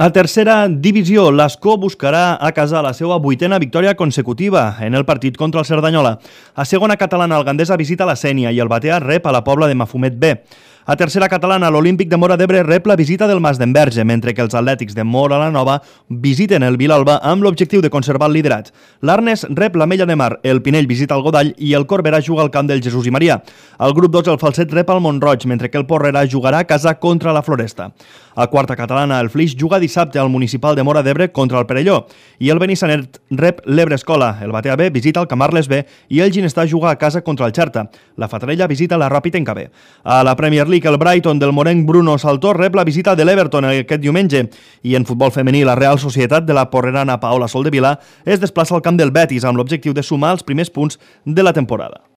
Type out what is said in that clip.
A tercera divisió, l'Escó buscarà a casa la seva 8a victòria consecutiva en el partit contra el Cerdanyola. A segona catalana, el Gandesa visita la Sénia i el Batea rep a la Pobla de Mafumet B. A tercera catalana, l'Olímpic de Móra d'Ebre rep la visita del Mas d'Enverge, mentre que els Atlètics de Móra la Nova visiten el Vilalba amb l'objectiu de conservar el liderat. L'Arnes rep l'Ametlla de Mar, el Pinell visita el Godall i el Corberà juga al camp del Jesús i Maria. Al grup 2, el Falset rep el Montroig, mentre que el Porrera jugarà a casa contra la Floresta. A quarta catalana, el Flix juga dissabte al Municipal de Móra d'Ebre contra el Perelló i el Benissanet rep l'Ebre Escola, el Batea B visita el Camarles B i el Ginestà juga a casa contra el Xerta. La Fatarella visita la Ràpid en KB. A la Premier League, el Brighton del morenc Bruno Saltor rep la visita de l'Everton aquest diumenge i en futbol femení, la Real Societat de la porrerana Paola Soldevila es desplaça al camp del Betis amb l'objectiu de sumar els primers punts de la temporada.